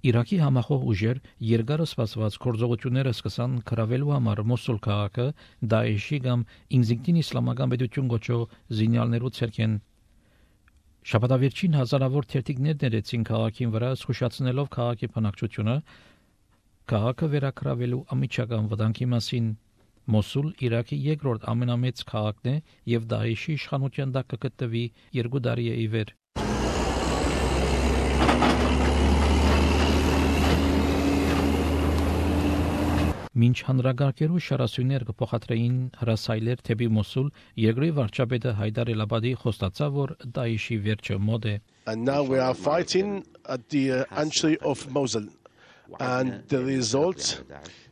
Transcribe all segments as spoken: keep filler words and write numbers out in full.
Իրաքի համախոհ ուժեր երկար սպասված գործողությունները սկսան կրավելու համար Մոսուլ քաղաքը Դաեշի կամ ինքնին իսլամական պետություն գոչող զինյալներու ցերքեն։ Շաբաթավերջին հազարավոր թերթիկներ ներեցին քաղաքին վրա, զսկուշացնելով քաղաքի բնակչությունը քաղաքը վերակրավելու ամիջական վտանգի մասին։ Մոսուլ Իրաքի երկրորդ ամենամեծ քաղաքն է եւ Դաեշի իշխանության տակ կգտնվի երկու տարի է ի վեր։ Մինչ հանրագարքերու շարասույներ կփոխադրեին հրասայլեր թեպի Մոսուլ, երկրի վարչապետը Հայդար Էլ-Աբադի խոստացավ, որ Դաեշի վերջը մոտ է։ And now we are fighting at the uh, entry of Mosul, and the result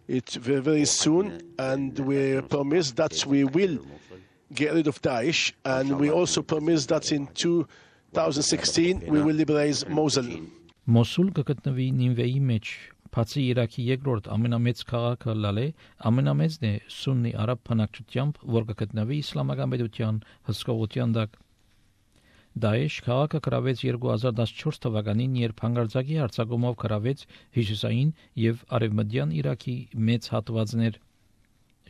it's very, very soon, and we promise that we will get rid of Daesh, and we also promise that in two thousand sixteen we will liberate Mosul. Մոսուլ կգտնվի Նինվեի մեջ, բացի Իրաքի երկրորդ ամենամեծ քաղաքը Լալե, ամենամեծն է սուննի արաբ բնակչությամբ, որ կգտնվի իսլամական պետության հսկողության տակ։ Դաեշ քաղաքը կրավեց երկու հազար տասնչորս թվականին, երբ հանգարձակի հարձակումով կրավեց հյուսիսային եւ արևմտյան Իրաքի մեծ հատվածներ։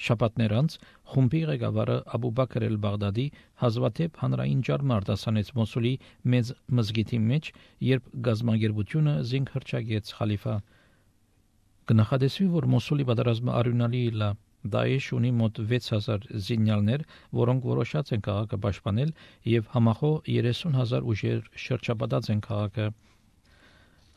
Շաբաթներ անց խումբի ղեկավարը Աբու Բաքր Էլ-Բաղդադի հազվադեպ հանրային ջարմ արտասանեց Մոսուլի մեծ մզգիթի մեջ, երբ գազագերբությունը զինք հրճագեց խալիֆա։ Կնախադեсվի, որ Մոսուլի պատերազմը արյունալի է։ Դաեշ ունի մոտ վեց հազար զինյալներ, որոնք որոշած են քաղաքը պաշտպանել, եւ համախոհ երեսուն հազար ուժեր շրջապատած են քաղաքը։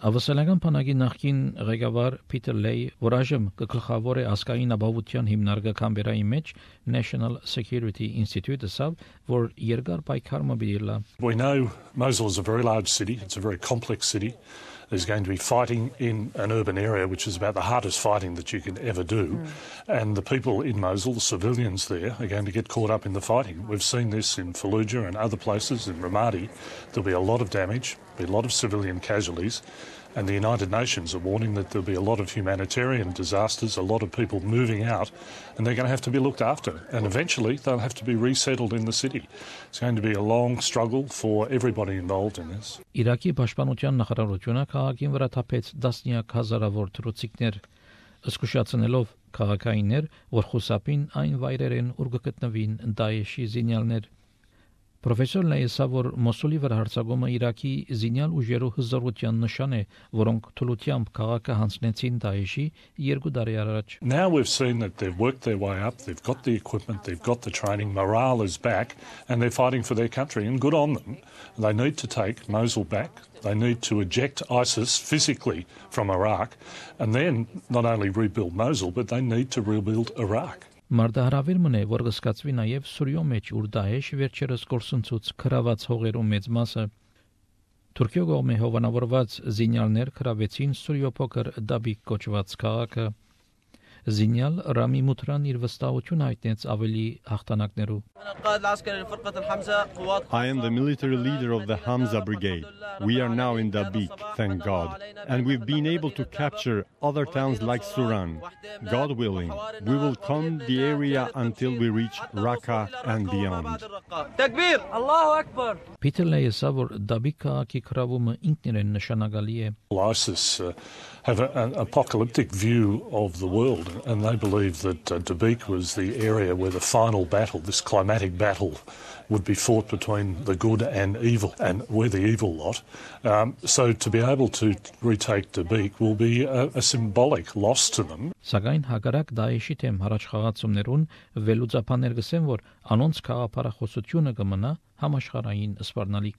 Ավասալական բանակի նախկին ղեկավար Փիթեր Լեյ, որ այժմ կգլխավոր է ազգային ապահովության հիմնարկը Կամբերայի մեջ National Security Institute, ասավ, որ երկար պայքար մը բիլա։ We know Mosul is a very large city, it's a very complex city. There's going to be fighting in an urban area, which is about the hardest fighting that you can ever do. Mm. And the people in Mosul, the civilians there, are going to get caught up in the fighting. We've seen this in Fallujah and other places, in Ramadi. There'll be a lot of damage, there'll be a lot of civilian casualties. And the United Nations are warning that there'll be a lot of humanitarian disasters, a lot of people moving out, and they're going to have to be looked after. And eventually they'll have to be resettled in the city. It's going to be a long struggle for everybody involved in this. Իրաքի պաշտպանության նախարարությունը քաղաքին վրա թափեց տասնյակ հազարավոր թռուցիկներ, զսկուշացնելով քաղաքայիններ, որ խուսափին այն վայրերեն, ուր կգտնվին Դաեշի զինյալներ։ Պրոֆեսոր Լեյսա, որ Մոսուլի վրա հարձակումը Իրաքի զինյալ ուժերու հզորության նշան է, որոնք թուլությամբ քաղաքը հանձնեցին Դաեշի երկու տարի առաջ։ Now we've seen that they've worked their way up, they've got the equipment, they've got the training, morale is back, and they're fighting for their country, and good on them. They need to take Mosul back. They need to eject ISIS physically from Iraq, and then not only rebuild Mosul, but they need to rebuild Iraq. Մարդահրավեր մնե, որ կսկացվի նաև Սուրիո մեջ, ուր Դաեշ վերջերս կորսնցուց քրաված հողերու մեծ մասը։ Թուրքիո կողմէ հովանավորված զինյալներ քրավեցին Սուրիո փոքր Դաբիկ կոչված քաղաքը։ Զինյալ Ռամի Մութրան իր վստահություն հայտնեց ավելի հաղթանակներու։ I am the military leader of the Hamza Brigade. We are now in Dabik, thank God. And we've been able to capture other towns like Suran. God willing, we will come the area until we reach Raqqa and beyond. Takbir! Allahu Akbar! Փիթեր Լեյսա, որ Դաբիկ քաղաքի քրավումը ինքնին նշանակալի է։ ISIS uh, have a, an apocalyptic view of the world, and they believe that uh, Dabik was the area where the final battle, this climatic battle, would be fought between the good and evil, and we're the evil lot. Um, so to be able to retake Dabik will be a, a symbolic loss to them. Սակայն հակառակ Դաեշի թեմ հառաջ խաղացումներուն վերլուծաբաններ գսեն, որ անոնց քաղաքապարախոսությունը կմնա համաշխարհային սպառնալիք։